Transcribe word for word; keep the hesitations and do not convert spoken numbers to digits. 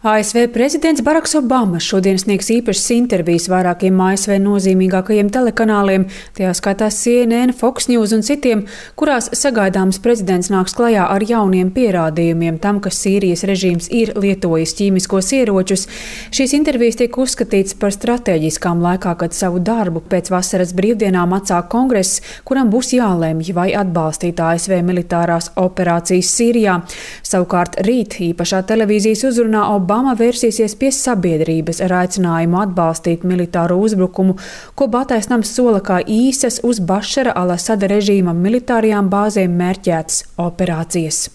A S V prezidents Baraks Obama šodien sniegs īpašas intervijas vairākiem A S V nozīmīgākajiem telekanāliem, tajā skaitā C N N, Fox News un citiem, kurās sagaidāms prezidents nāks klajā ar jauniem pierādījumiem tam, ka Sīrijas režīms ir lietojis ķīmiskos ieročus. Šīs intervijas tiek uzskatītas par stratēģiskām laikā, kad savu darbu pēc vasaras brīvdienām atsāk kongress, kuram būs jālemj, vai atbalstīt A S V militārās operācijas Sīrijā. Savukārt rīt īpašā televīzijas uzrunā Obama Obama vērsīsies pie sabiedrības ar aicinājumu atbalstīt militāro uzbrukumu, ko Baltais nams sola kā īsas uz Bašara al-Asada režīma militārajām bāzēm mērķētas operācijas.